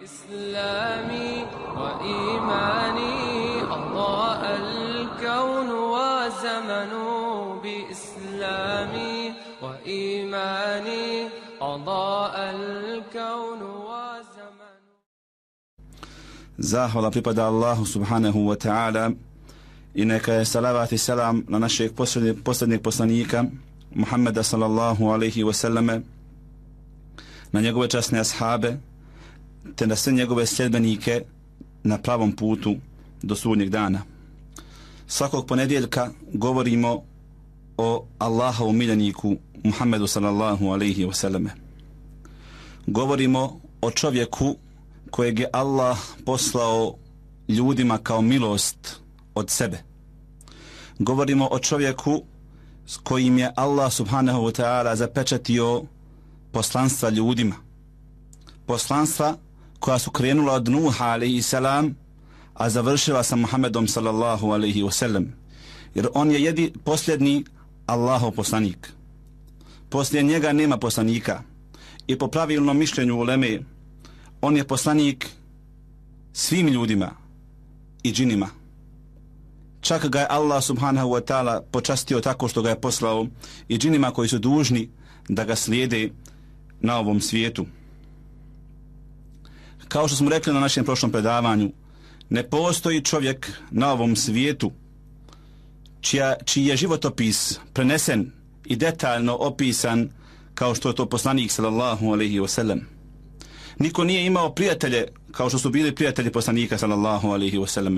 إسلامي وإيماني أضاء الكون وزمن بإسلامي وإيماني أضاء الكون وزمن. Zahvala pripada Allahu subhanahu wa ta'ala i neka je salavat i selam na našeg posljednjeg poslanika Muhammeda sallallahu alaihi wa sallame, na njegove časne ashabe te na sve njegove sljedbenike na pravom putu do sudnjeg dana. Svakog ponedjeljka govorimo o Allahovom miljeniku Muhammedu sallallahu alaihi wa sallame. Govorimo o čovjeku kojeg je Allah poslao ljudima kao milost od sebe. Govorimo o čovjeku s kojim je Allah subhanahu wa ta'ala zapečatio poslanstva ljudima. Poslanstva koja su krenula od Nuha alaihi salam, a završila sa Muhammedom sallallahu alaihi wa sallam. Jer on je posljednji Allahov poslanik. Poslije njega nema poslanika. I po pravilnom mišljenju uleme, on je poslanik svim ljudima i džinima. Čak ga je Allah subhanahu wa ta'ala počastio tako što ga je poslao i džinima koji su dužni da ga slijede na ovom svijetu. Kao što smo rekli na našem prošlom predavanju, ne postoji čovjek na ovom svijetu čiji je životopis prenesen i detaljno opisan kao što je to poslanik sallallahu alaihi wa sallam. Niko nije imao prijatelje kao što su bili prijatelji poslanika sallallahu alaihi wa sallam.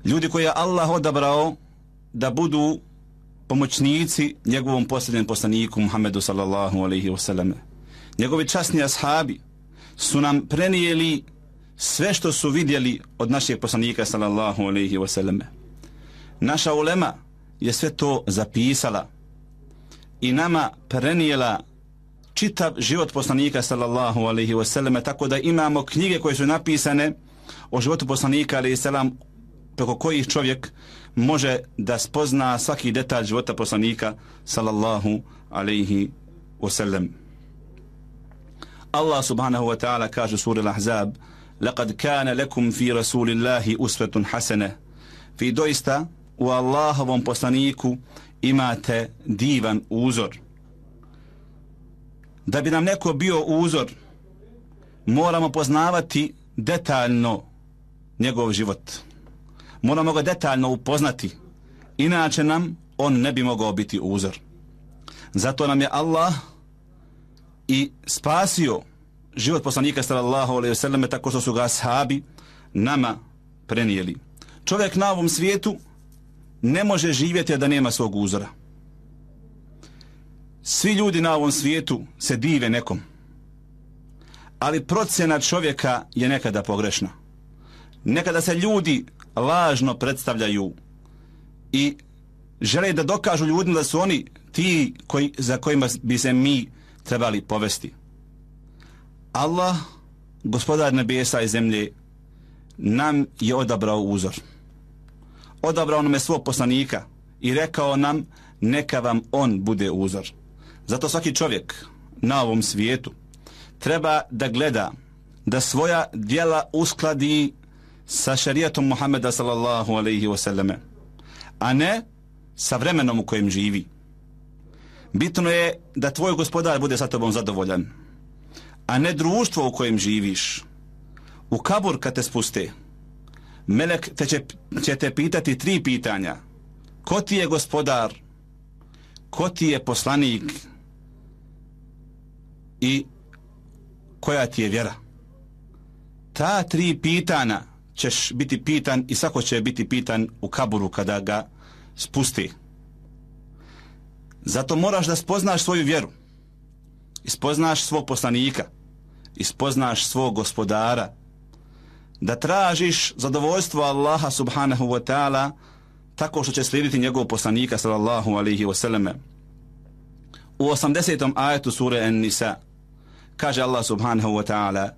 Ljudi koje je Allah odabrao da budu pomoćnici njegovom posljednjem poslaniku Muhammedu sallallahu alaihi wa sallam. Njegovi časni ashabi su nam prenijeli sve što su vidjeli od našeg poslanika sallallahu alaihi wa sallam. Naša ulema je sve to zapisala i nama prenijela čitav život poslanika sallallahu alaihi wa sallam, tako da imamo knjige koje su napisane o životu poslanika alaihi salam, preko kojih čovjek može da spozna svaki detalj života poslanika sallallahu alaihi wa sallam. Allah subhanahu wa ta'ala kaže u suri Al-Ahzab: "Laqad kana lakum fi rasulillahi uswatun hasana." Vi doista u Allahovom poslaniku imate divan uzor. Da bi nam neko bio uzor, moramo poznavati detaljno njegov život. Moramo ga detaljno upoznati, inače nam on ne bi mogao biti uzor. Zato nam je Allah i spasio život poslanika sallallahu alejhi ve selleme tako što su ga ashabi nama prenijeli. Čovjek na ovom svijetu ne može živjeti da nema svog uzora. Svi ljudi na ovom svijetu se dive nekom, ali procjena čovjeka je nekada pogrešna. Nekada se ljudi lažno predstavljaju i žele da dokažu ljudima da su oni ti za kojima bi se mi trebali povesti. Allah, gospodar nebesa i zemlje, nam je odabrao uzor. Odabrao nam je svog poslanika i rekao nam neka vam on bude uzor. Zato svaki čovjek na ovom svijetu treba da gleda da svoja djela uskladi sa šerijatom Muhammeda sallallahu alaihi wa sallame, a ne sa vremenom u kojem živi. Bitno je da tvoj gospodar bude sa tobom zadovoljan, a ne društvo u kojem živiš. U kabur kad te spuste, melek će te pitati 3 pitanja. Ko ti je gospodar? Ko ti je poslanik? I koja ti je vjera? Ta 3 pitanja ćeš biti pitan i svako će biti pitan u kaburu kada ga spusti. Zato moraš da spoznaš svoju vjeru, ispoznaš svog poslanika, ispoznaš svog gospodara, da tražiš zadovoljstvo Allaha subhanahu wa ta'ala tako što će slijediti njegovog poslanika sallallahu alaihi wa sallame. U 80. ajetu sure An-Nisa kaže Allah subhanahu wa ta'ala: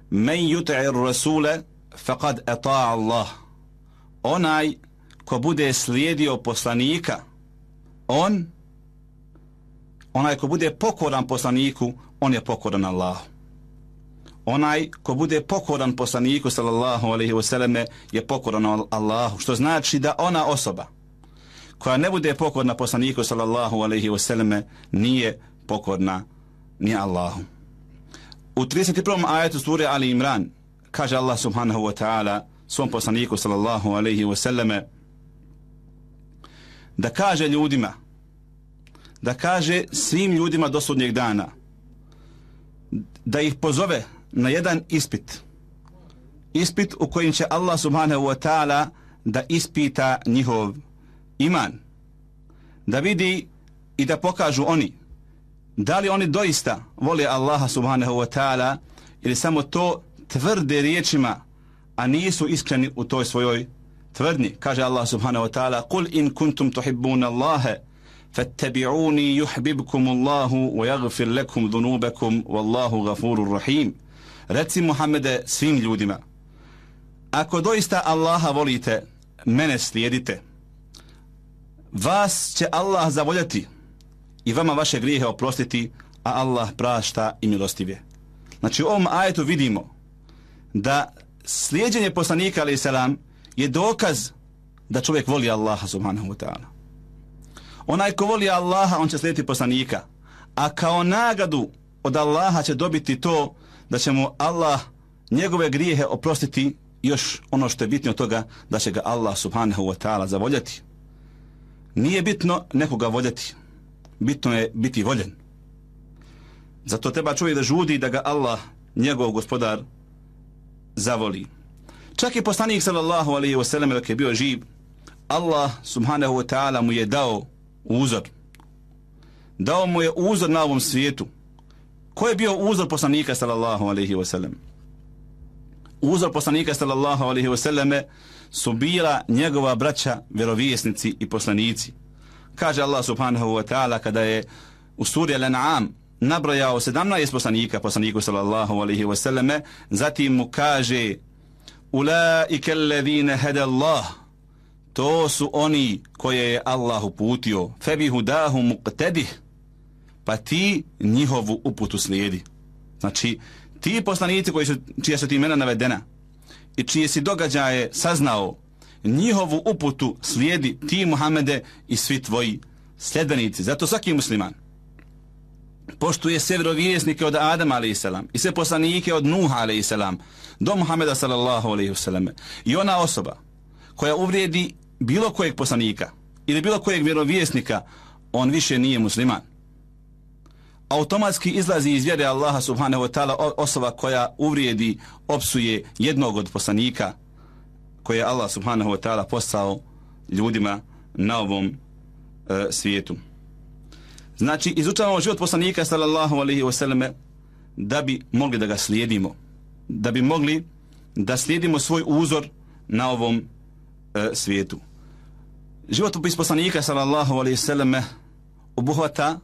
"Men yuti'ir rasule faqad ata'a Allah." Onaj ko bude slijedio poslanika, onaj ko bude pokoran poslaniku, on je pokoran Allahu. onaj ko bude pokoran poslaniku sallallahu alejhi ve selleme je pokoran Allahu, što znači da ona osoba koja ne bude pokorna poslaniku sallallahu alejhi ve selleme nije pokorna ni Allahu. U 31. ajetu sure Ali Imran kaže Allah subhanahu wa ta'ala svom poslaniku sallallahu alejhi ve selleme da kaže ljudima, da kaže svim ljudima do sudnjeg dana, da ih pozove na jedan ispit u kojim će Allah subhanahu wa ta'ala da ispita njihov iman, da vidi i da pokažu oni da li oni doista vole Allaha subhanahu wa ta'ala ili samo to tvrde riječima, a nisu iskreni u toj svojoj tvrdnji. Kaže Allah subhanahu wa ta'ala: "Qul in kuntum tuhibbuna Allaha fattabi'uni yuhibbukum Allahu wa yaghfir lakum dhunubakum wallahu ghafurur rahim." Reci Muhammede svim ljudima, ako doista Allaha volite, mene slijedite, vas će Allah zavoljeti i vama vaše grijehe oprostiti, a Allah prašta i milostiv je. Znači u ovom ajetu vidimo da slijeđenje poslanika alejhi selam je dokaz da čovjek voli Allaha subhanahu wa ta'ala. Onaj ko voli Allaha, on će slijediti poslanika, a kao nagradu od Allaha će dobiti to da će mu Allah njegove grijehe oprostiti, još ono što je bitno od toga, da će ga Allah subhanahu wa ta'ala zavoljeti. Nije bitno nekoga voljeti, bitno je biti voljen. Zato treba čovjek da žudi da ga Allah, njegov gospodar, zavoli. Čak i poslanik sallallahu alejhi ve sellem dok je bio živ, Allah subhanahu wa ta'ala mu je dao uzor. Dao mu je uzor na ovom svijetu. Ko je bio uzor poslanika sallallahu alejhi ve sellem? Uzor poslanika sallallahu alejhi ve selleme su bila njegova braća, vjerovjesnici i poslanici. Kaže Allah subhanahu wa ta'ala kada je u suri Al-An'am nabrojao 17 poslanika poslaniku sallallahu alejhi ve selleme, zatim mu kaže: "Ulaika alladhina hada Allah", to su oni koje je Allah uputio, "Fabihudahu muqtadih", pa ti njihovu uputu slijedi. Znači ti poslanici čija su ti imena navedena i čije si događaje saznao, njihovu uputu slijedi ti Muhammede i svi tvoji sljedbenici. Zato svaki musliman poštuje sve vjerovjesnike od Adama alejhi selam i sve poslanike od Nuha alejhi selam do Muhameda sallallahu alejhi ve selleme. I ona osoba koja uvrijedi bilo kojeg poslanika ili bilo kojeg vjerovjesnika, on više nije musliman. Automatski izlazi iz vjere Allaha subhanahu wa ta'ala osoba koja uvrijedi, opsuje jednog od poslanika koje je Allah subhanahu wa ta'ala poslao ljudima na ovom svijetu. Znači, izučavamo život poslanika sallallahu alejhi ve selleme da bi mogli da ga slijedimo, da bi mogli da slijedimo svoj uzor na ovom svijetu. Životopis poslanika sallallahu alejhi ve selleme obuhvata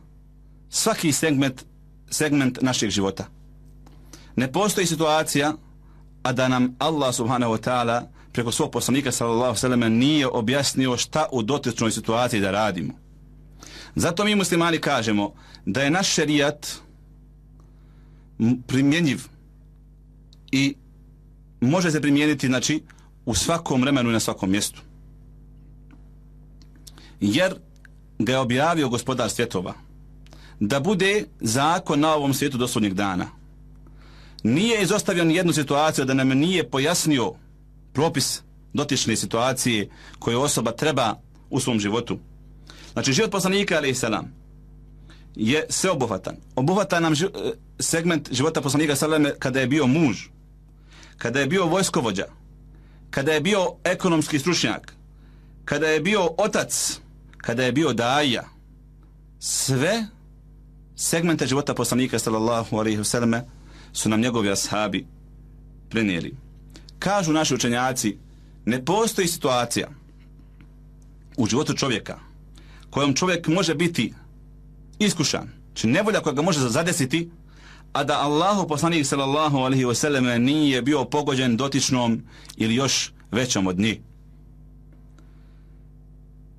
svaki segment našeg života. Ne postoji situacija a da nam Allah subhanahu wa ta'ala preko svog poslanika sallallahu alejhi ve selleme nije objasnio šta u dotičnoj situaciji da radimo. Zato mi muslimani kažemo da je naš šerijat primjenjiv i može se primijeniti, znači, u svakom vremenu i na svakom mjestu. Jer ga je objavio gospodar svjetova da bude zakon na ovom svijetu do sudnjeg dana. Nije izostavio ni jednu situaciju da nam nije pojasnio propis dotične situacije koju osoba treba u svom životu. Znači, život poslanika alejhi selam je sveobuhvatan. Obuhvata nam segment života poslanika sallallahu kada je bio muž, kada je bio vojskovođa, kada je bio ekonomski stručnjak, kada je bio otac, kada je bio daija. Sve segmente života poslanika sallallahu alejhi ve selleme su nam njegovi ashabi prenijeli. Kažu naši učenjaci, ne postoji situacija u životu čovjeka kojom čovjek može biti iskušan, či nevolja koja ga može zadesiti, a da Allahu poslanik sallallahu alejhi ve selleme nije bio pogođen dotičnom ili još većom od njih.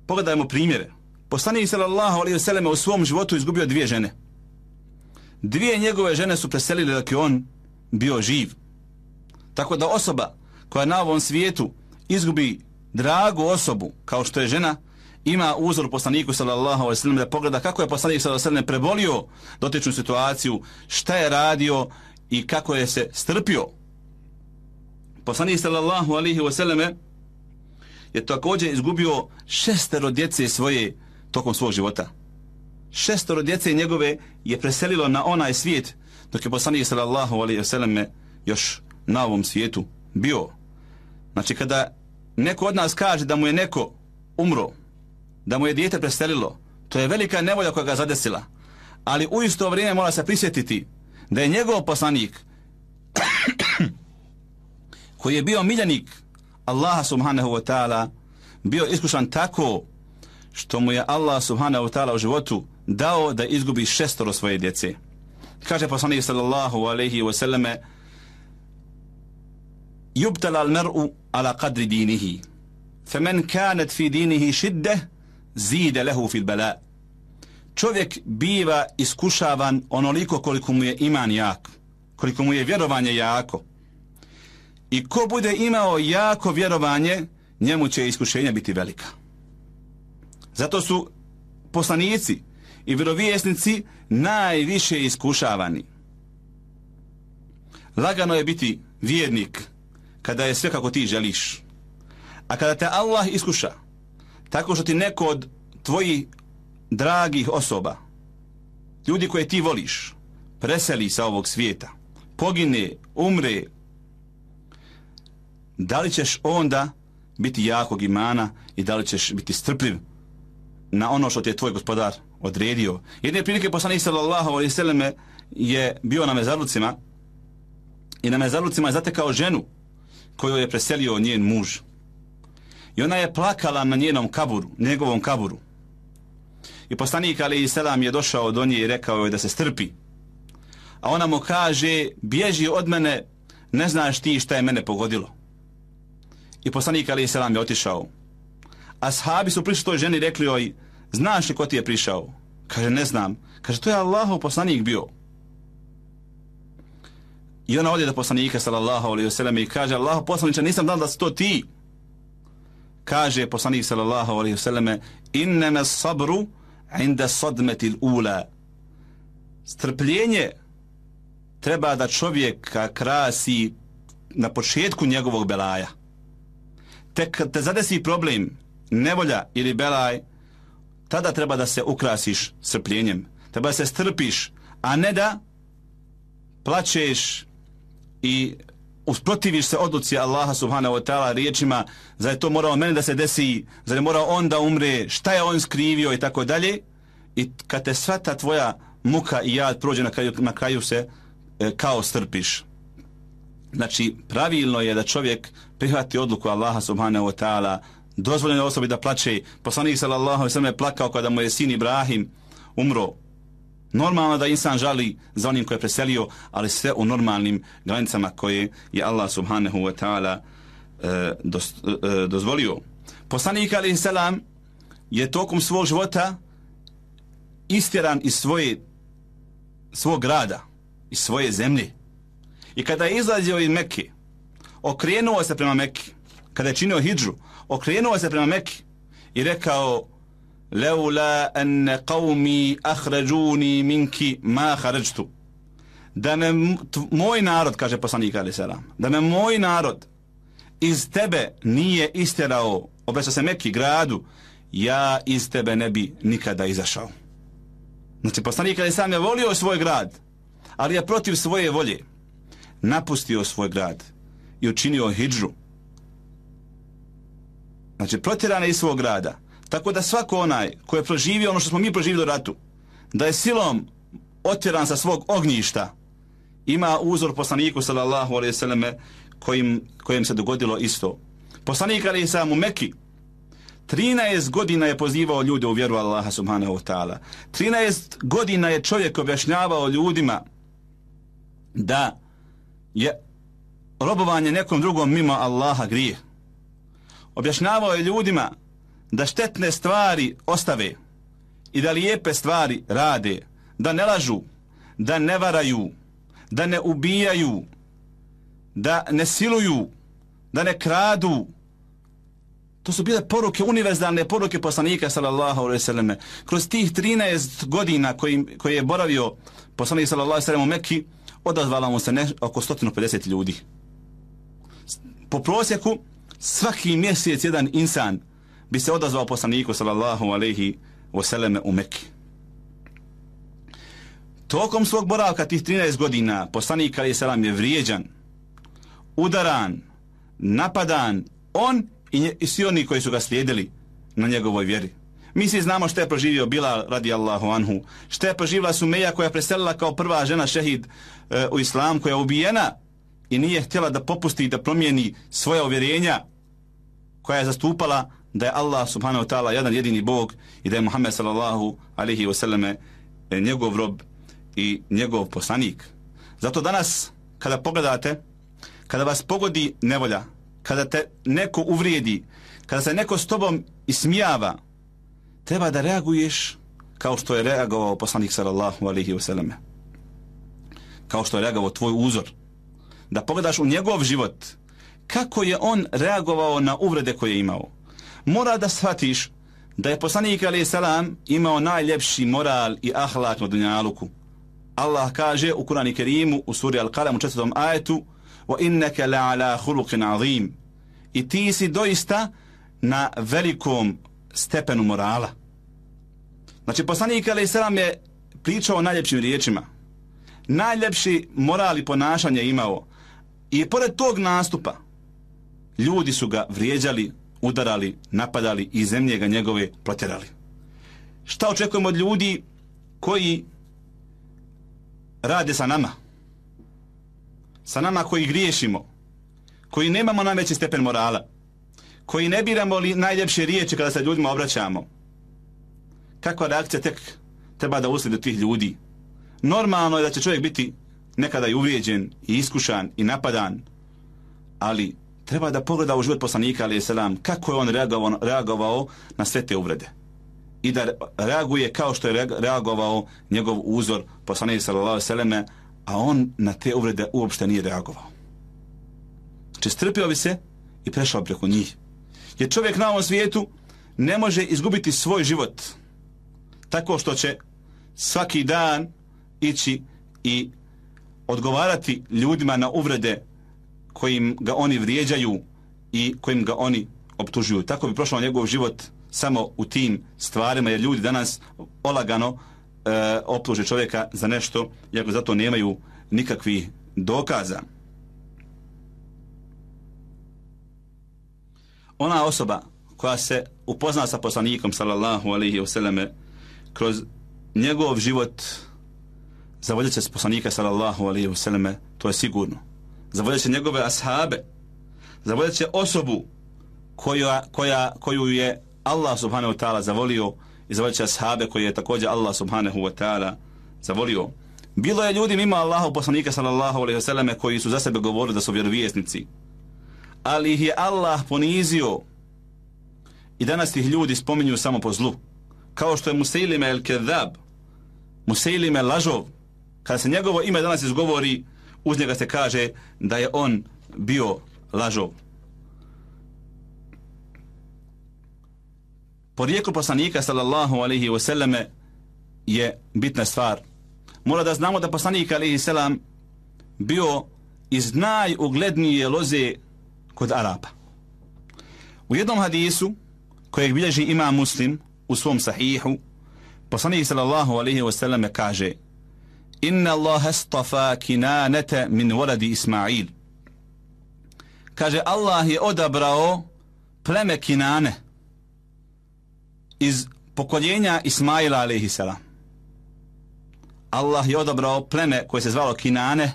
Pogledajmo primjere. Poslanik sallallahu alejhi ve selleme u svom životu izgubio 2 žene. 2 njegove žene su preselile dok je on bio živ. Tako da osoba koja na ovom svijetu izgubi dragu osobu kao što je žena, ima uzor poslaniku sallallahu alejhi ve sellem da pogleda kako je poslanik sallallahu alejhi ve sellem prebolio dotičnu situaciju, šta je radio i kako je se strpio. Poslanik sallallahu alejhi ve sellem je također izgubio 6 djece svoje tokom svog života. 6 djece njegove je preselilo na onaj svijet, dok je poslanik sallallahu alejhi ve sellem još na ovom svijetu bio. Znači kada neko od nas kaže da mu je neko umro, da mu je dijete preselilo, to je velika nevolja koja ga zadesila. Ali u isto vrijeme mora se prisjetiti da je njegov poslanik koji je bio miljenik Allaha subhanahu wa ta'ala bio iskušan tako što mu je Allah subhanahu wa ta'ala u životu dao da izgubi 6 svoje djece. Kaže poslanik sallallahu alejhi ve selleme: Yubtala al-mar'u ala qadri dinihi, faman kanat fi dinihi shiddah zida lahu fil bala. Čovjek biva iskušavan onoliko koliko mu je iman jak, koliko mu je vjerovanje jako. I ko bude imao jako vjerovanje, njemu će iskušenja biti velika. Zato su poslanici i vjerovjesnici najviše iskušavani. Lagano je biti vjernik kada je sve kako ti želiš. A kada te Allah iskuša tako što ti neko od tvojih dragih osoba, ljudi koje ti voliš, preseli sa ovog svijeta, pogine, umre, da li ćeš onda biti jakog imana i da li ćeš biti strpljiv na ono što ti je tvoj gospodar odredio? Jedne prilike poslanik sallallahu alejhi ve selleme je bio na mezarlucima i na mezarlucima je zatekao ženu koju je preselio njen muž. I ona je plakala na njegovom kaburu. I poslanik alejhi selam je došao do nje i rekao joj da se strpi. A ona mu kaže: bježi od mene, ne znaš ti šta je mene pogodilo. I poslanik alejhi selam je otišao. Ashabi su prišli toj ženi i rekli joj: znaš li ko ti je prišao? Kaže: ne znam. Kaže: to je Allahov poslanik bio. I ona ode do poslanika sallallahu alejhi ve sellem i kaže: Allahov poslaniče, nisam znala da si to ti. Kaže poslanik sallallahu alejhi ve selleme: innama sabru inda sadmati al-ula. Strpljenje treba da čovjeka krasi na početku njegovog belaja. Tek kad te zadesi problem, nevolja ili belaj, tada treba da se ukrasiš strpljenjem. Treba da se strpiš, a ne da plačeš i usprotiviš se odluci Allaha subhanahu wa ta'ala riječima: zar je to morao meni da se desi, zar je morao on da umre, šta je on skrivio i tako dalje. I kad te sva ta tvoja muka i jad prođe, na kraju se kao strpiš. Znači pravilno je da čovjek prihvati odluku Allaha subhanahu wa ta'ala. Dozvoljeno je osobi da plače. Poslanik sallallahu alejhi ve sellem je plakao kada mu je sin Ibrahim umro. Normalno da insan žali za onim koje je preselio, ali sve u normalnim granicama koje je Allah subhanahu wa ta'ala dozvolio. Poslanik alejhi selam je tokom svog života istjeran iz svog grada, iz svoje zemlje. I kada je izlazio iz Mekke, okrenuo se prema Mekke. Kada je činio hidžu, okrenuo se prema Mekke i rekao: leula an qawmi akhrajuni minki ma kharajtu. Da me moj narod, kaže poslanik alejhi selam, da me moj narod iz tebe nije istjerao, obraća se Mekki, gradu, ja iz tebe ne bi nikada izašao. Znači poslanik alejhi selam je volio svoj grad, ali je protiv svoje volje napustio svoj grad i učinio hidžu. Znači protjeran je iz svog grada. Tako da svako onaj koji je proživio ono što smo mi proživili u ratu, da je silom otjeran sa svog ognjišta, ima uzor poslaniku sallallahu alejhi ve selleme kojim se dogodilo isto. Poslanik alejhi selam u Mekki 13 godina je pozivao ljude u vjeru Allaha subhanahu wa ta'ala. 13 godina je čovjek objašnjavao ljudima da je robovanje nekom drugom mimo Allaha grijeh. Objašnjavao je ljudima da štetne stvari ostave i da lijepe stvari rade, da ne lažu, da ne varaju, da ne ubijaju, da ne siluju, da ne kradu. To su bile poruke, univerzalne poruke poslanika sallallahu alejhi ve selleme. Kroz tih 13 godina koji je boravio poslanik sallallahu alejhi ve sellem u Mekki, odazvala mu se oko 150 ljudi. Po prosjeku svaki mjesec jedan insan bi se odazvao poslaniku sallallahu alejhi ve selleme u Mekki. Tokom svog boravka tih 13 godina poslanik alejhi selam je vrijeđan, udaran, napadan, on i svi oni koji su ga slijedili na njegovoj vjeri. Mi svi znamo što je proživio Bilal radijallahu anhu, što je proživila Sumeja koja je preselila kao prva žena šehid u islam, koja je ubijena i nije htjela da popusti i da promijeni svoja uvjerenja, koja je zastupala da je Allah subhanahu wa ta'ala jedan jedini Bog i da je Muhammed sallallahu alaihi wa sallame njegov rob i njegov poslanik. Zato danas kada pogledate, kada vas pogodi nevolja, kada te neko uvrijedi, kada se neko s tobom ismijava, treba da reaguješ kao što je reagovao poslanik sallallahu alejhi ve selleme. Kao što je reagovao tvoj uzor. Da pogledaš u njegov život, kako je on reagovao na uvrede koje je imao. Mora da shvatiš da je poslanik alejhi selam imao najljepši moral i ahlak na dunjaluku. Allah kaže u Kur'anu Kerimu u suri Al-Qalam u 4. ajetu: wa innaka la'ala khuluqin azim. I ti si doista na velikom stepenu morala. Znači poslanik alejhi selam je pričao o najljepšim riječima. Najljepši moral i ponašanje imao. I pored tog nastupa ljudi su ga vrijeđali, udarali, napadali i zemlje ga njegove protjerali. Šta očekujemo od ljudi koji rade sa nama? Sa nama koji griješimo, koji nemamo najveći stepen morala, koji ne biramo li najljepše riječi kada se ljudima obraćamo. Kakva reakcija tek treba da uslijedi od tih ljudi? Normalno je da će čovjek biti nekada i uvrijeđen, i iskušan, i napadan, ali treba da pogleda u život poslanika alejhi selam kako je on reagovao na sve te uvrede. I da reaguje kao što je reagovao njegov uzor poslanik sallallahu alejhi ve selleme, a on na te uvrede uopšte nije reagovao. Znači strpio bi se i prešao preko njih. Jer čovjek na ovom svijetu ne može izgubiti svoj život tako što će svaki dan ići i odgovarati ljudima na uvrede kojim ga oni vrijeđaju i kojim ga oni optužuju. Tako bi prošao njegov život samo u tim stvarima, jer ljudi danas olagano optuže čovjeka za nešto, iako zato nemaju nikakvih dokaza. Ona osoba koja se upozna sa poslanikom sallallahu alejhi ve selleme kroz njegov život, zavoljet će se poslanika sallallahu alejhi ve selleme, to je sigurno. Zavoljet će njegove ashabe, zavoljet će osobu koju je Allah subhanahu wa ta'ala zavolio, i zavoljet će ashabe koje je također Allah subhanahu wa ta'ala zavolio. Bilo je ljudi mimo Allahov poslanika sallallahu alejhi ve selleme koji su za sebe govorili da su vjerovjesnici, ali ih je Allah ponizio i danas ih ljudi spominju samo po zlu. Kao što je Musailime el-Kedhab, Musailime lažov, kada se njegovo ime danas izgovori, uz njega se kaže da je on bio lažov. Porijeklo poslanika sallallahu alejhi ve selleme je bitna stvar. Mora da znamo da poslanik alejhi selam bio iz najuglednije loze kod Arapa. U jednom hadisu kojeg bilježi imam Muslim u svom sahihu, poslanik sallallahu alejhi ve selleme kaže: inna Allaha astafa Kinanata min waladi Ismail. Kaže, Allah je odabrao pleme Kinane iz pokoljenja Ismaila alejhi selam. Allah je odabrao pleme koje se zvalo Kinane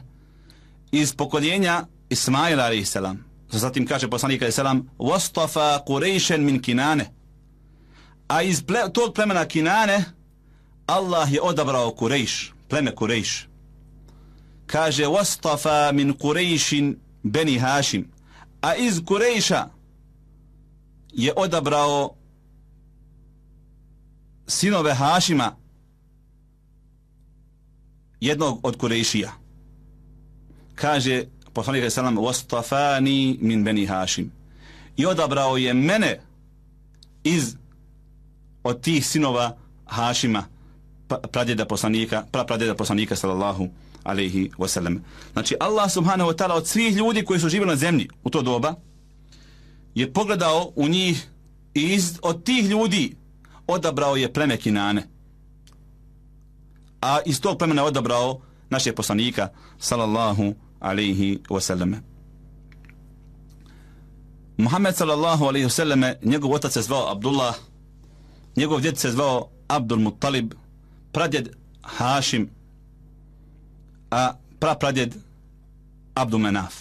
iz pokoljenja Ismaila alejhi selam. Zatim kaže poslanik alejhi selam: wastafa Qurayshan min Kinane. A iz tog plemena Kinane Allah je odabrao Kurejš, pleme Kurejš. Kaže: wastafa min Qurayshin bani Hashim. A iz Kurejša je odabrao sinove Hašima, jednog od Kurejšija. Kaže poslanik alejhi selam wastafani min bani Hašim, i odabrao je mene od tih sinova Hašima, pradjeda poslanika sallallahu alejhi ve sellem. Znači Allah subhanahu wa ta'ala od svih ljudi koji su živjeli na zemlji u to doba je pogledao u njih i od tih ljudi odabrao je pleme Kinane, a iz tog plemena odabrao našeg poslanika sallallahu alejhi ve sellem. Muhammed sallallahu alejhi ve sellem, njegov otac se zvao Abdullah, njegov djed se zvao Abdul Muttalib, pradjed Hašim, a prapradjed Abdul Menaf.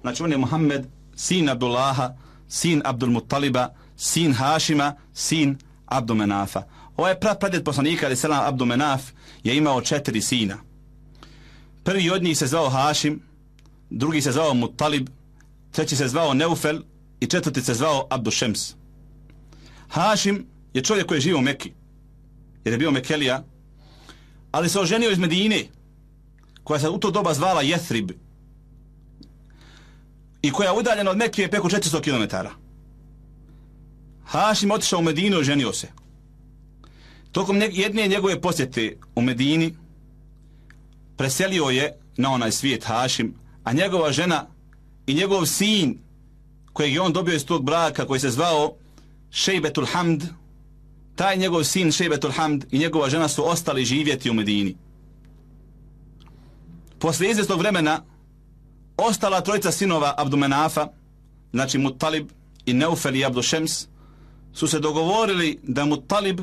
Znači on je Muhammed, sin Abdullaha, sin Abdul Muttaliba, sin Hašima, sin Abdul Menafa. Ovaj prapradjed poslanika alejhi selam Abdul Menaf je imao 4 sina. Prvi od njih se zvao Hašim, drugi se zvao Muttalib, treći se zvao Neufel i četvrti se zvao Abdul Šems. Hašim je čovjek koji je živio u Mekki, jer je bio Mekelija, ali se oženio iz Medine, koja se u to doba zvala Jethrib i koja je udaljena od Mekke preko 400 km. Hašim otišao u Medinu i oženio se. Tokom jedne njegove posjete u Medini preselio je na onaj svijet Hašim, a njegova žena i njegov sin kojeg je on dobio iz tog braka, koji se zvao Šejbetul Hamd, taj njegov sin Šejbetul Hamd i njegova žena su ostali živjeti u Medini. Posle izvjesnog vremena ostala trojica sinova Abdul Menafa, znači Muttalib i Neufel i Abdul Šems, su se dogovorili da Muttalib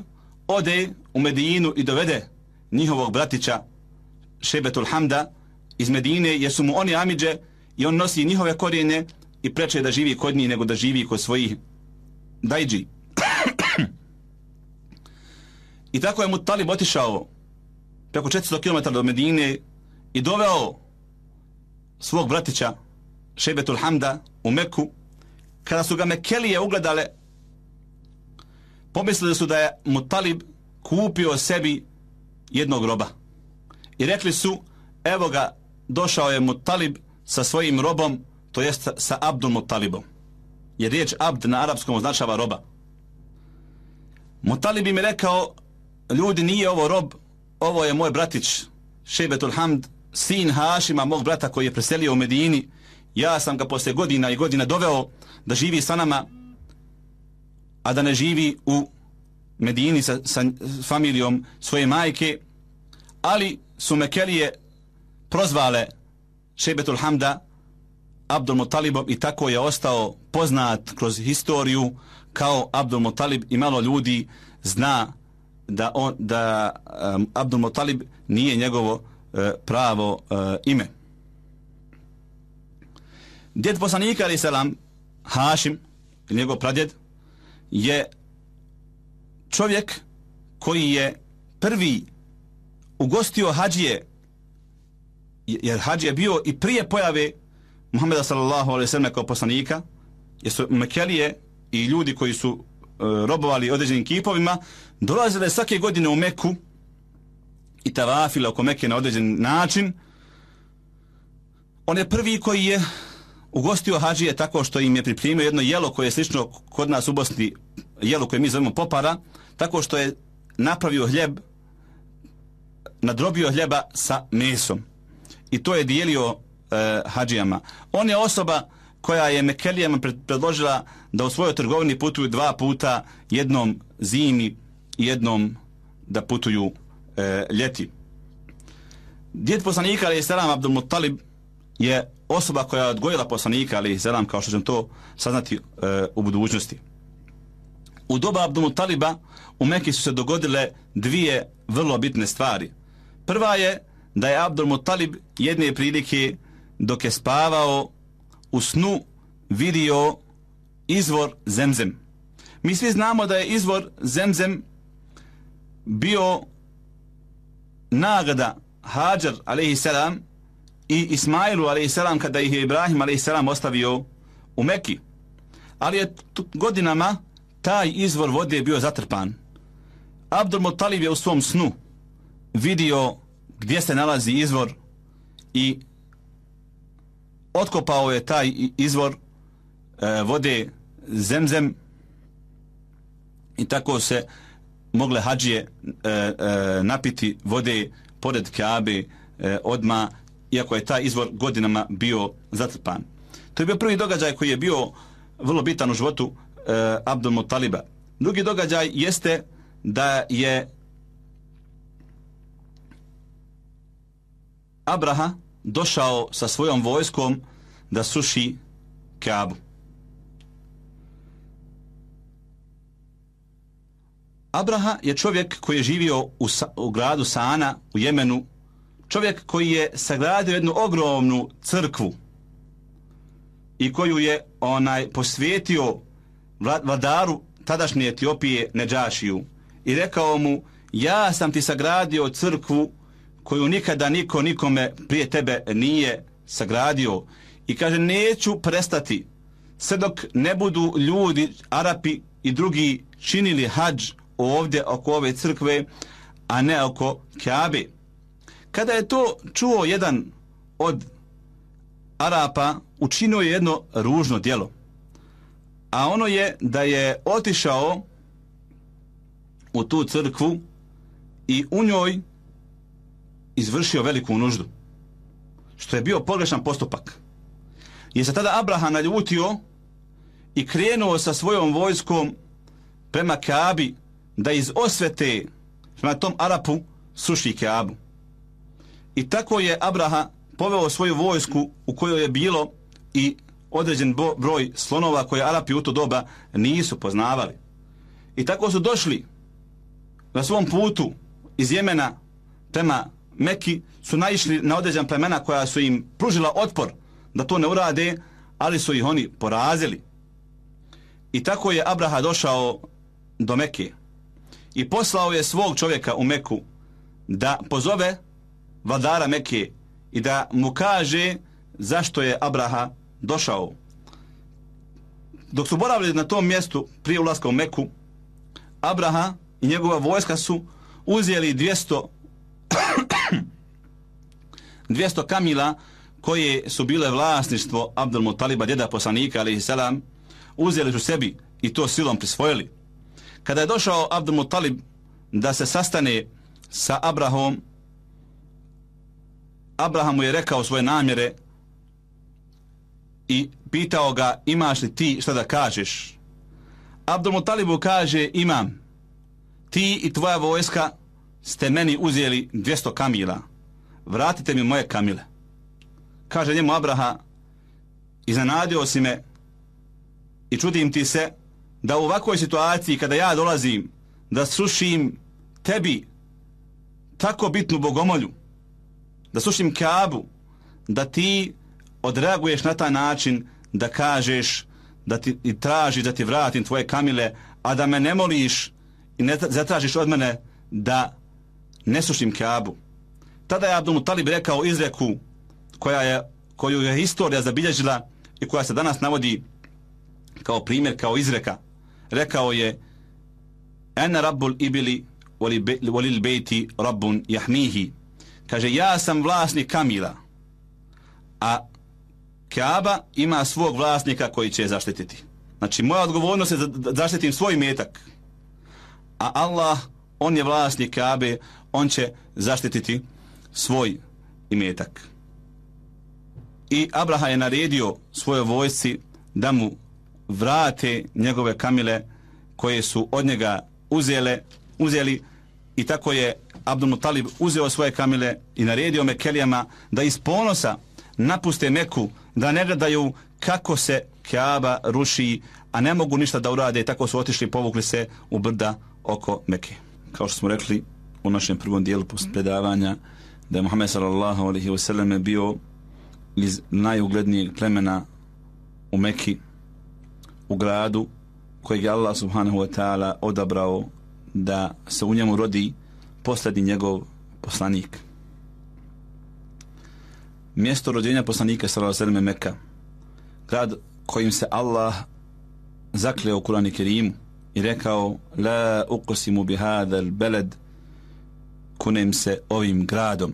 ode u Medinu i dovede njihovog bratića Šejbetul Hamda iz Medine, jer su mu oni amidže i on nosi njihove korijene i preče da živi kod njih nego da živi kod svojih dajđi. I tako je Muttalib otišao preko 400 km do Medine i doveo svog bratića Šejbetul Hamda u Meku. Kada su ga Mekelije ugledale, pomislili su da je Muttalib kupio sebi jednog roba i rekli su, evo ga, došao je Muttalib sa svojim robom, to jest sa Abdul Muttalibom, jer riječ Abd na arapskom označava roba. Muttalib im je rekao, ljudi, nije ovo rob, ovo je moj bratić Šejbetul Hamd, sin Hašima, mog brata koji je preselio u Medini. Ja sam ga posle godina i godina doveo da živi sa nama, a da ne živi u Medini sa familijom svoje majke, ali su Mekelije prozvale Šejbetul Hamda Abdul Muttalibom i tako je ostao poznat kroz historiju kao Abdul Muttalib i malo ljudi zna da Abdul Muttalib nije njegovo pravo ime. Djed poslanika alejhi selam Hašim, njegov pradjed, je čovjek koji je prvi ugostio hadžije, jer hadž je bio i prije pojave Muhameda sallallahu alejhi ve sellem kao poslanika, jer su Mekelije i ljudi koji su robovali određenim kipovima dolazile svake godine u Meku i tavafile oko Mekke na određen način. On je prvi koji je ugostio hadžije tako što im je pripremio jedno jelo koje je slično kod nas u Bosni, jelo koje mi zovemo popara, tako što je napravio hljeb, nadrobio hljeba sa mesom i to je dijelio hadžijama. On je osoba koja je Mekelijama predložila da u svojoj trgovini putuju 2 puta, jednom zimi i jednom da putuju ljeti. Djed poslanika alejhi selam Abdul Muttalib je osoba koja je odgojila poslanika alejhi selam, kao što ćemo to saznati u budućnosti. U doba Abdul Muttaliba u Mekki su se dogodile 2 vrlo bitne stvari. Prva je da je Abdul Muttalib jedne prilike dok je spavao u snu vidio izvor Zemzem. Mi svi znamo da je izvor Zemzem bio nagrada Hadžar alejhi selam i Ismailu alejhi selam kada ih je Ibrahim alejhi selam ostavio u Mekki. Ali je godinama taj izvor vode bio zatrpan. Abdul Muttalib je u svom snu vidio gdje se nalazi izvor i otkopao je taj izvor vode Zemzem i tako se mogle hadžije napiti vode pored Kabe odma, iako je taj izvor godinama bio zatrpan. To je bio prvi događaj koji je bio vrlo bitan u životu Abdul Mutaliba. Drugi događaj jeste da je Abraha došao sa svojom vojskom da sruši Kabu. Abraha je čovjek koji je živio u gradu Sana u Jemenu, čovjek koji je sagradio jednu ogromnu crkvu i koju je posvetio vladaru tadašnje Etiopije Nedžašiju i rekao mu: ja sam ti sagradio crkvu koju nikada niko nikome prije tebe nije sagradio, i kaže neću prestati sve dok ne budu ljudi, Arapi i drugi činili hadž ovdje oko ove crkve, a ne oko Kabe. Kada je to čuo jedan od Arapa, učinio je jedno ružno djelo, a ono je da je otišao u tu crkvu i u njoj izvršio veliku nuždu, što je bio pogrešan postupak. Je se tada Abraha naljutio i krenuo sa svojom vojskom prema Kabi da iz osvete prema tom Arapu sruši Kabu. I tako je Abraha poveo svoju vojsku u kojoj je bilo i određen broj slonova koje Arapi u to doba nisu poznavali. I tako su došli na svom putu iz Jemena prema Meki, su naišli na određen plemena koja su im pružila otpor da to ne urade, ali su ih oni porazili. I tako je Abraha došao do Meke i poslao je svog čovjeka u Meku da pozove vladara Meke i da mu kaže zašto je Abraha došao. Dok su boravili na tom mjestu prije ulaska u Meku, Abraha i njegova vojska su uzeli 200 kamila koje su bile vlasništvo Abdul Mutaliba, djeda poslanika alejhi selam, uzeli su sebi i to silom prisvojili. Kada je došao Abdul Mutalib da se sastane sa Abrahom, Abraham mu je rekao svoje namjere i pitao ga: imaš li ti šta da kažeš? Abdul Mutalibu kaže: imam. Ti i tvoja vojska ste meni uzeli 200 kamila. Vratite mi moje kamile. Kaže njemu Abraha: iznenadio si me i čudim ti se da u ovakvoj situaciji kada ja dolazim da srušim tebi tako bitnu bogomolju, da srušim Kabu, da ti odreaguješ na taj način da kažeš da ti i tražiš da ti vratim tvoje kamile, a da me ne moliš i ne zatražiš od mene da ne srušim Kabu. Tada je Abdul Mutalib rekao izreku koju je historija zabilježila i koja se danas navodi kao primjer, kao izreka. Rekao je: ena rabbul ibili volil bejti rabbun jahmihi. Kaže: ja sam vlasnik kamila, a Kaaba ima svog vlasnika koji će je zaštititi. Znači moja odgovornost je da zaštitim svoj imetak, a Allah, on je vlasnik Kaabe, on će zaštititi svoj imetak. I Abraha je naredio svojoj vojsci da mu vrate njegove kamile koje su od njega uzeli, i tako je Abdul Mutalib uzeo svoje kamile i naredio Mekelijama da iz ponosa napuste Meku, da ne gledaju kako se Kaaba ruši, a ne mogu ništa da urade. Tako su otišli i povukli se u brda oko Meke. Kao što smo rekli u našem prvom dijelu predavanja, da je Muhammed sallallahu alejhi ve sellem bio iz najuglednijeg plemena u Meki, u gradu kojeg je Allah subhanahu wa ta'ala odabrao da se u njemu rodi posljednji njegov poslanik. Mjesto rođenja poslanika sallallahu alejhi ve sellem Meka, grad kojim se Allah zakleo u Kur'anu Kerimu i rekao: la uqsimu bi hadal beled, kunem se ovim gradom.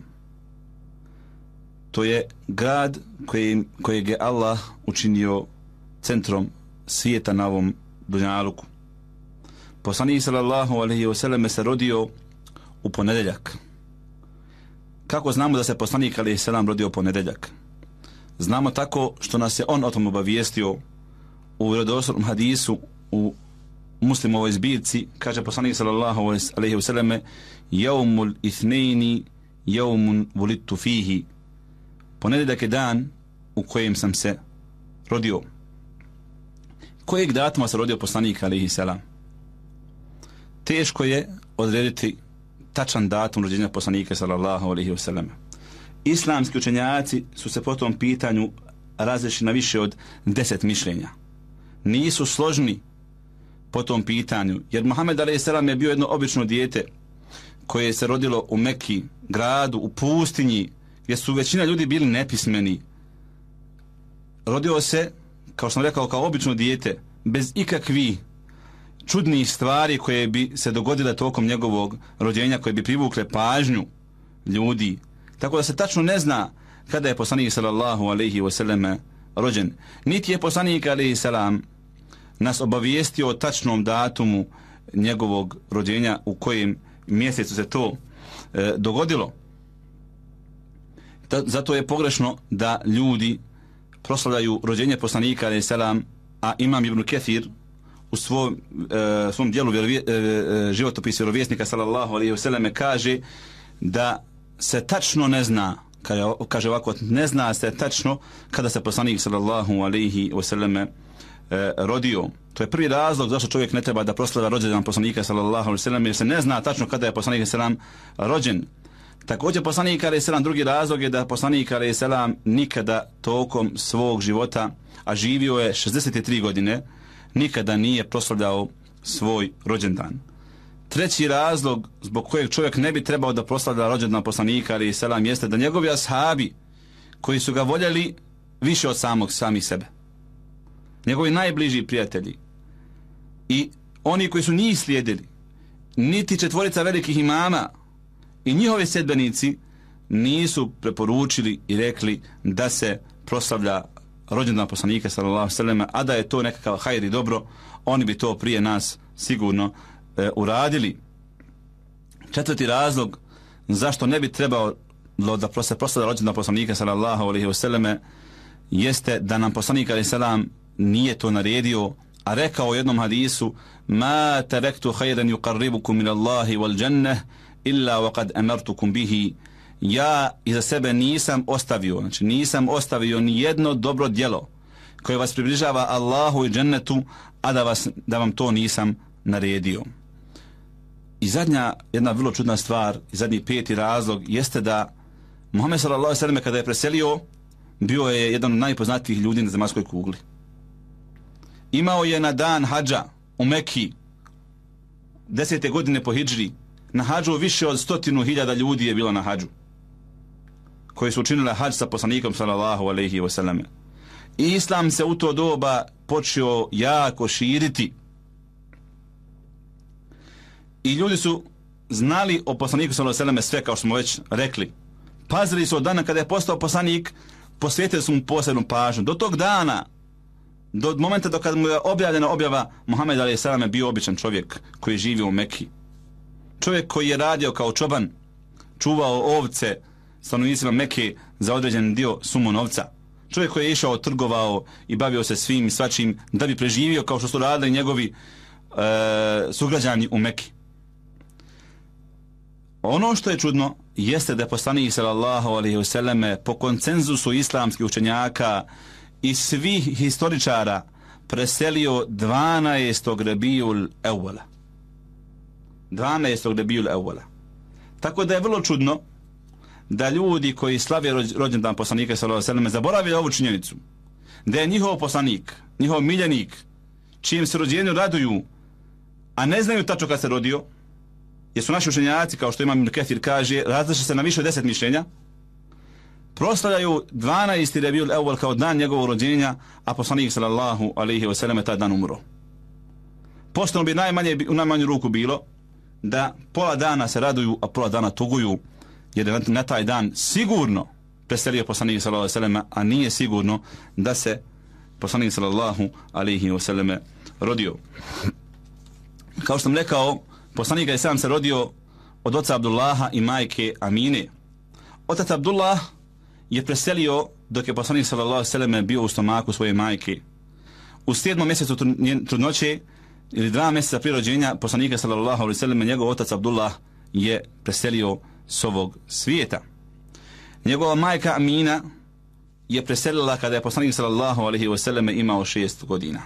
to je grad kojeg je Allah učinio centrom svijeta na ovom dunjaluku. Poslanik sallallahu alejhi ve sellem se rodio u ponedjeljak. Kako znamo da se poslanik alejhi selam rodio u ponedjeljak? Znamo tako što nas je on o tom obavijestio u vjerodostojnom hadisu u Muslimovoj zbirci. Kaže poslanik sallallahu alejhi ve sellem: "Yawmul ithnaini yawmun wulidtu fihi." Ponedjeljak je dan u kojem sam se rodio. Kojeg datuma se rodio poslanik alejhi selam? Teško je odrediti tačan datum rođenja poslanika sallallahu alejhi ve sellem. Islamski učenjaci su se po tom pitanju različili na više od 10 mišljenja. Nisu složni po tom pitanju, jer Muhammed alejhi selam je bio jedno obično dijete koje se rodilo u Mekki, gradu, u pustinji, gdje su većina ljudi bili nepismeni. Rodio se, kao što sam rekao, kao obično dijete, bez ikakvih čudnih stvari koje bi se dogodile tokom njegovog rođenja, koje bi privukle pažnju ljudi. Tako da se tačno ne zna kada je poslanik sallallahu alejhi ve sellem rođen. Niti je poslanik alejhi selam nas obavijestio o tačnom datumu njegovog rođenja, u kojem mjesecu se to dogodilo. Zato je pogrešno da ljudi proslavljaju rođenje poslanika alejhi selam, a Imam Ibn Kathir u svom dijelu životopis vjerovjesnika sallallahu alejhi ve sellem kaže da se tačno ne zna, kaže ovako, ne zna se tačno kada se poslanik sallallahu alejhi ve sellem rodio. To je prvi razlog zašto čovjek ne treba da proslavlja rođendan poslanika sallallahu alejhi ve sellem, jer se ne zna tačno kada je poslanik sallallahu rođen. Također poslanik alejhi selam, drugi razlog je da poslanik alejhi selam nikada tokom svog života, a živio je 63 godine, nikada nije proslavljao svoj rođendan. Treći razlog zbog kojeg čovjek ne bi trebao da proslavlja rođendan poslanika alejhi selam jeste da njegovi ashabi, koji su ga voljeli više od samih sebe, njegovi najbliži prijatelji i oni koji su njih slijedili, niti četvorica velikih imama i njihovi sedbenici nisu preporučili i rekli da se proslavlja rođendan poslanika sallallahu alejhi ve sellem, a da je to nekakav hajr i dobro, oni bi to prije nas sigurno uradili. Četvrti razlog zašto ne bi trebao da se proslavlja rođendan poslanika sallallahu alejhi ve sellem jeste da nam poslanik alejhi selam nije to naredio, a rekao u jednom hadisu: "Ma taraktu khayran yuqarribukum min Allahi wal jannah illa waqad amartukum bihi." Ja iza sebe nisam ostavio ni jedno dobro djelo koje vas približava Allahu i džennetu, a da vam to nisam naredio. I zadnja, jedna vrlo čudna stvar, i zadnji peti razlog jeste da Muhammed sallallahu alejhi ve sellem kada je preselio, bio je jedan od najpoznatijih ljudi na zemaljskoj kugli. Imao je na dan hadža u Mekki 10. godine po hidžri, na hadžu više od 100.000 ljudi je bilo na hadžu, koji su učinili hadž sa poslanikom sallallahu alejhi ve sellem. I islam se u to doba počeo jako širiti. I ljudi su znali o poslaniku sallallahu alejhi ve sellem sve, kao što smo već rekli. Pazili su od dana kada je postao poslanik, posvetili su mu posebnu pažnju. Do tog dana, do momenta do kada mu je objavljena objava, Muhammed alejhi selam je bio običan čovjek koji je živio u Mekki. Čovjek koji je radio kao čoban, čuvao ovce stanovnicima Mekke za određen dio sumu novca. Čovjek koji je išao, trgovao i bavio se svim i svačim da bi preživio, kao što su radili njegovi sugrađani u Mekki. Ono što je čudno jeste da je poslanik sallallahu alejhi ve sellem po konsenzusu islamskih učenjaka i svih historičara preselio 12. Rabiul Awwala. 12. Rabiul Awwala. Tako da je vrlo čudno da ljudi koji slave rođendan poslanika sallallahu alejhi ve sellem zaboravljaju ovu činjenicu, da je njihov poslanik, njihov miljenik, čijem se rođenju raduju, a ne znaju tačno kad se rodio, jer su naši učenjaci, kao što Imam Ibn Kathir kaže, različe se na više od 10 mišljenja, proslavljaju 12. Rabiul Awwal kao dan njegovog rođenja, a poslanik sallallahu alejhi ve sellem je taj dan umro. Pošteno bi u najmanju ruku bilo da pola dana se raduju, a pola dana tuguju, jer na taj dan sigurno preselio poslanik sallallahu alejhi ve selleme, a nije sigurno da se poslanik sallallahu alejhi ve selleme rodio. Kao što sam rekao, poslanik je sam se rodio od oca Abdullaha i majke Amine. Otac Abdullah je preselio dok je poslanik sallallahu alejhi ve selleme bio u stomaku svoje majke. U 7. mjesecu trudnoće ili 2 mjeseca prije rođenja poslanika sallallahu alejhi ve selleme, njegov otac Abdullah je preselio s ovog svijeta. Njegova majka Amina je preselila kada je poslanik sallallahu alejhi ve selleme imao 6 godina.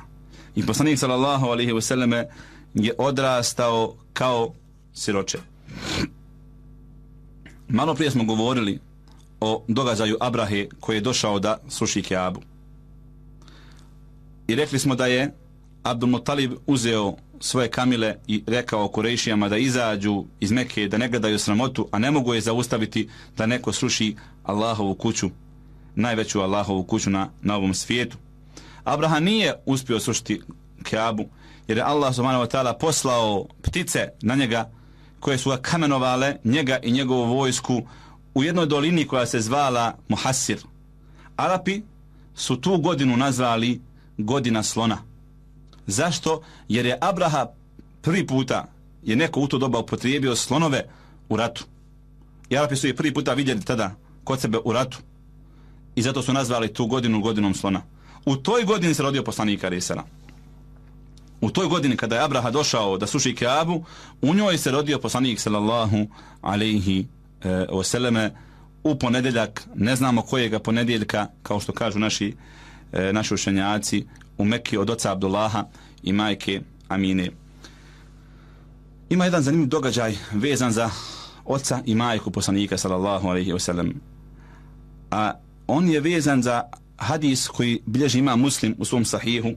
I poslanik sallallahu alejhi ve selleme je odrastao kao siroče. Malo prije smo govorili o događaju Abrahe koji je došao da sruši Kjabu. I rekli smo da je Abdul Mutalib uzeo svoje kamile i rekao Kurejšijama da izađu iz Mekke, da ne gledaju sramotu, a ne mogu je zaustaviti da neko sruši Allahovu kuću, najveću Allahovu kuću na ovom svijetu. Abraha nije uspio srušiti Kjabu, jer je Allah subhanahu wa ta'ala poslao ptice na njega koje su ga kamenovale, njega i njegovu vojsku, u jednoj dolini koja se zvala Muhassir. Arapi su tu godinu nazvali godina slona. Zašto? Jer je Abraha prvi puta je neko u to doba upotrijebio slonove u ratu. I Arapi su je prvi puta vidjeli tada kod sebe u ratu. I zato su nazvali tu godinu godinom slona. U toj godini se rodio poslanik alejhi selam. U toj godini kada je Abraha došao da sruši Kjabu, u njoj se rodio poslanik sallallahu alejhi ve selleme u ponedjeljak, ne znamo kojega ponedjeljka, kao što kažu naši učenjaci, u Mekki od oca Abdullaha i majke Amine. Ima jedan zanimljiv događaj vezan za oca i majku poslanika sallallahu alejhi ve sellem. A on je vezan za hadis koji bilježi Imam Muslim u svom sahihu,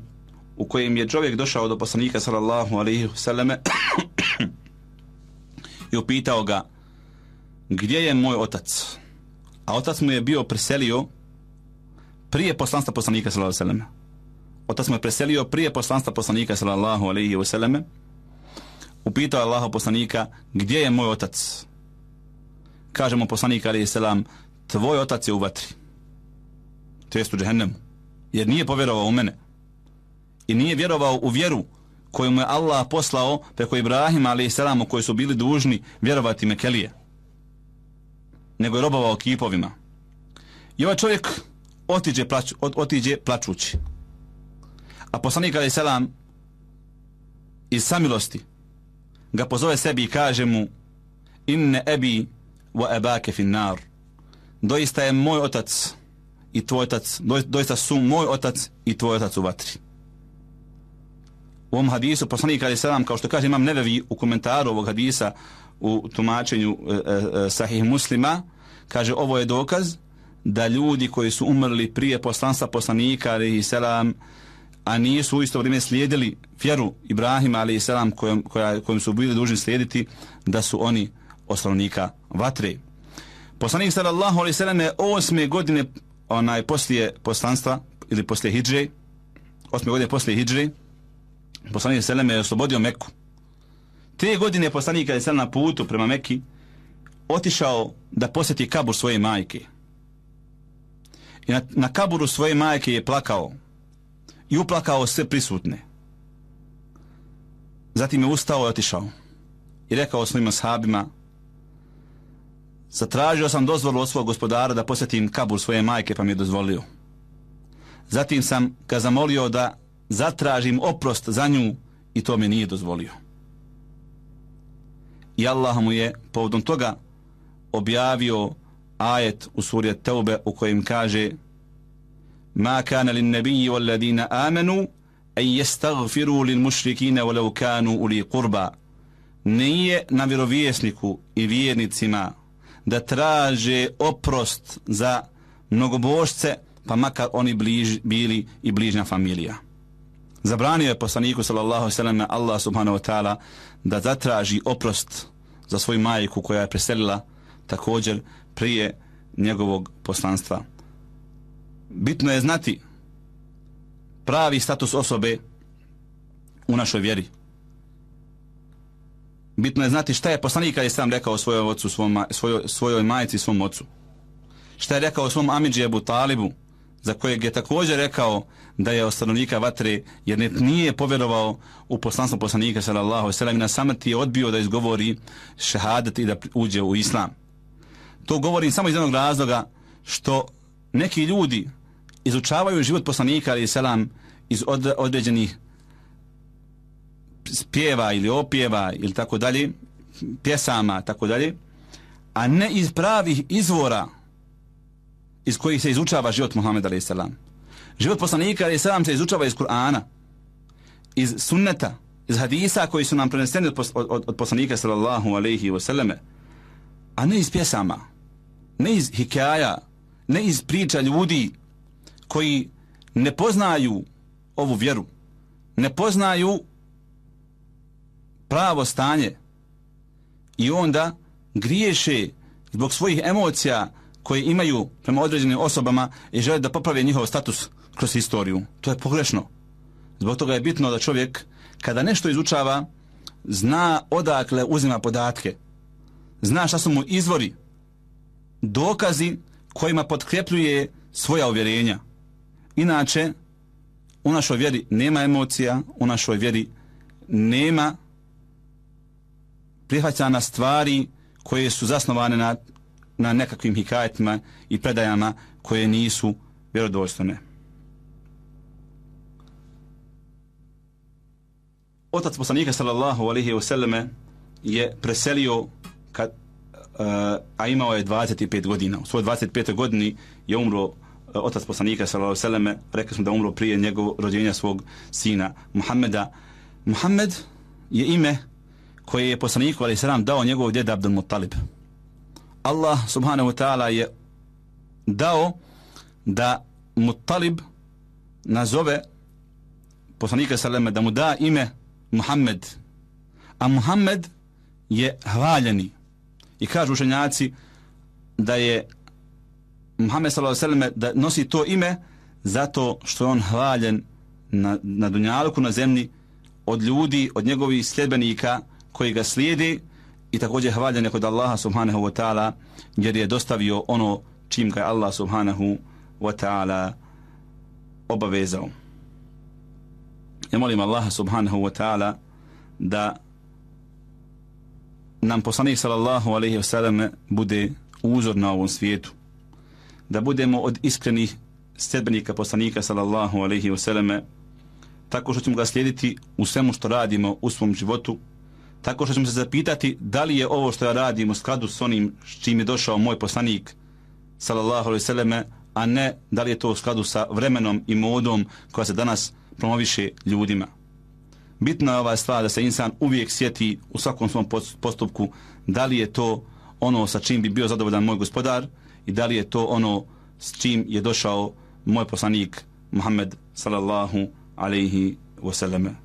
u kojem je čovjek došao do poslanika sallallahu alejhi ve selleme i upitao ga gdje je moj otac. A otac mu je bio preselio prije poslanstva poslanika sallallahu alejhi ve selleme. Otac mu je preselio prije poslanstva poslanika sallallahu alejhi ve selleme. Upitao je Allahov poslanika gdje je moj otac. Kaže mu poslanik alejhi selam, tvoj otac je u vatri, to jest u džehennemu, jer nije povjerovao u mene i nije vjerovao u vjeru koju mu je Allah poslao preko Ibrahima alejhi selam, u koji su bili dužni vjerovati Mekelije, nego je robovao kipovima. I ovaj čovjek otiđe plačući. A poslanik alejhi selam iz samilosti ga pozove sebi i kaže mu inne ebi wa ebake fin nar, doista je moj otac i tvoj otac, doista su moj otac i tvoj otac u vatri. U ovom hadisu poslanik alejhi selam, kao što kaže Imam Nevevi u komentaru ovog hadisa u tumačenju Sahih Muslima, kaže ovo je dokaz da ljudi koji su umrli prije poslanstva poslanika alejhi selam, a nisu u isto vrijeme slijedili vjeru Ibrahima alejhi selam kojom su bili dužni slijediti, da su oni od stanovnika vatre. Poslanik sallallahu alejhi ve sellem je 8. godine poslije poslanstva ili poslije hidže, 8. godine poslije hidže, poslanik sallallahu alejhi ve sellem je oslobodio Meku. 3 godine poslanik alejhi selam na putu prema Meki otišao da posjeti kabur svoje majke. I na kaburu svoje majke je plakao i uplakao sve prisutne. Zatim je ustao i otišao i rekao svojim ashabima, zatražio sam dozvolu od svog gospodara da posjetim kabur svoje majke, pa mi je dozvolio. Zatim sam ga zamolio da zatražim oprost za nju i to mi nije dozvolio. I Allah mu je povodom toga objavio ajet u suri Teube u kojem kaže ma kana lin nabiyyi wal ladina amanu an yastaghfiru lil mushrikina walau kanu uli qurba. Nije na vjerovjesniku i vjernicima da traže oprost za mnogobožce, pa makar oni bili i bližnja familija. Zabranio je poslaniku sallallahu alejhi ve sellem Allah subhanahu wa ta'ala da zatraži oprost za svoju majku koja je preselila također prije njegovog poslanstva. Bitno je znati pravi status osobe u našoj vjeri. Bitno je znati šta je poslanik alejhi selam rekao svojoj ocu, svojoj majci i svom ocu. Šta je rekao svom amidži Ebu Talibu, za kojeg je također rekao da je od stanovnika vatre, jer nije povjerovao u poslanstvo poslanika sallallahu alejhi ve sellem, na samrti je odbio da izgovori šehadet i da uđe u islam. To govorim samo iz jednog razloga što neki ljudi izučavaju život poslanika alejhi selam iz određenih spjeva ili opjeva ili tako dalje, pjesama tako dalje, a ne iz pravih izvora iz kojih se izučava život Muhameda alejhi selam. Život poslanika alejhi selam se izučava iz Kur'ana, iz sunneta, iz hadisa koji su nam preneseni od poslanika sallallahu alejhi ve selleme, a ne iz pjesama, ne iz hikaja, ne iz priča ljudi koji ne poznaju ovu vjeru, ne poznaju pravo stanje i onda griješe zbog svojih emocija koje imaju prema određenim osobama i žele da poprave njihov status kroz historiju. To je pogrešno. Zbog toga je bitno da čovjek kada nešto izučava zna odakle uzima podatke, zna šta su mu izvori, dokazi kojima potkrepljuje svoja uvjerenja. Inače, u našoj vjeri nema emocija, u našoj vjeri nema prihvaćana stvari koje su zasnovane na nekakvim hikajetima i predajama koje nisu vjerodostojne. Otac poslanika sallallahu alejhi ve selleme je preselio a imao je 25 godina. U svojoj 25. godini je umro otac poslanika sallallahu alejhi ve selleme. Rekli smo da umro prije njegovog rođenja svog sina Muhammeda. Muhammed je ime koje je poslaniku alejhi selam dao njegov djed Abdul Muttalib. Allah subhanahu wa ta'ala je dao da Muttalib nazove poslanika sallallahu da mu da ime Muhammed, a Muhammed je hvaljeni. I kažu učenjaci da je Muhammed sallallahu alejhi ve sellem da nosi to ime zato što je on hvaljen na dunjaluku, na zemlji, od ljudi, od njegovih sljedbenika koji ga slijede, i također hvaljen je kod Allaha subhanahu wa ta'ala jer je dostavio ono čim ga je Allah subhanahu wa ta'ala obavezao. Ja molim Allaha subhanahu wa ta'ala da nam poslanik sallallahu alejhi ve sellem bude uzor na ovom svijetu, da budemo od iskrenih sljedbenika poslanika sallallahu alejhi ve selleme, tako što ćemo ga slijediti u svemu što radimo u svom životu, tako što ćemo se zapitati da li je ovo što ja radim u skladu s onim s čim je došao moj poslanik sallallahu alejhi ve selleme, a ne da li je to u skladu sa vremenom i modom koja se danas promoviše ljudima. Bitna je ova stvar da se insan uvijek sjeti u svakom svom postupku da li je to ono sa čim bi bio zadovoljan moj gospodar i da li je to ono s čim je došao moj poslanik Muhammed sallallahu alejhi ve selleme.